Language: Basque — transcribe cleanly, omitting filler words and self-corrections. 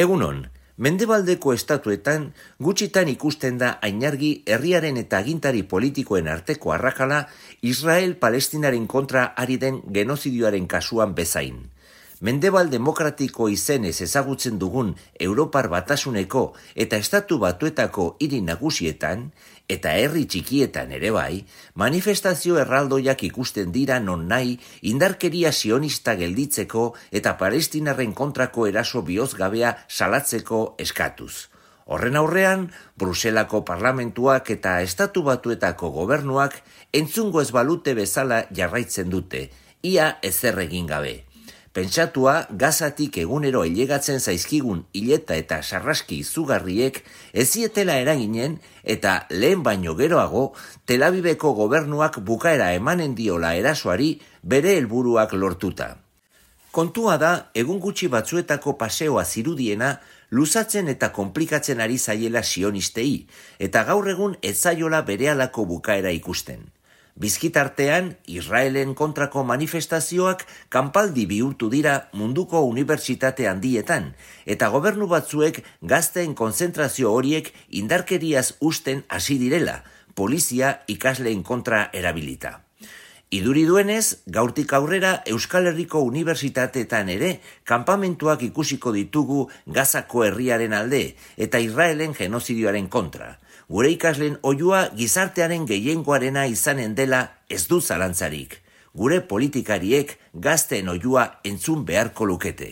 Egunon, Mendebaldeko estatuetan gutxitan ikusten da ainargi herriaren eta agintari politikoen arteko arrakala Israel-Palestinaren kontra ari den genozidioaren kasuan bezain. Mendebal demokratiko izenez ezagutzen dugun Europar Batasuneko eta Estatu Batuetako hiri nagusietan, eta herri txikietan ere bai, manifestazio erraldoiak ikusten dira non nahi indarkeria sionista gelditzeko eta palestinarren kontrako eraso bihozgabea salatzeko eskatuz. Horren aurrean, Bruselako parlamentuak eta Estatu Batuetako gobernuak entzungo ez balute bezala jarraitzen dute, ia ezer egin gabe. Pentsatua, Gazatik egunero ailegatzen zaizkigun hileta eta sarraski izugarriek ezietela eraginen eta lehen baino geroago Tel Aviveko gobernuak bukaera emanen diola erasoari bere helburuak lortuta. Kontua da, egun gutxi batzuetako paseoa zirudiena luzatzen eta konplikatzen ari zaiela sionistei, eta gaur egun ez zaiola berehalako bukaera ikusten. Bizkitartean, Israelen kontrako manifestazioak kanpaldi bihurtu dira munduko unibertsitate handietan, eta gobernu batzuek gazteen konzentrazio horiek indarkeriaz usten hasi direla, polizia ikasleen kontra erabilita. Iduri duenez, gaurtik aurrera Euskal Herriko unibertsitateetan ere kanpamentuak ikusiko ditugu Gazako herriaren alde eta Israelen genozidioaren kontra. Gure ikasleen oihua gizartearen gehiengoarena izanen dela ez du zalantzarik. Gure politikariek gazteen oihua entzun beharko lukete.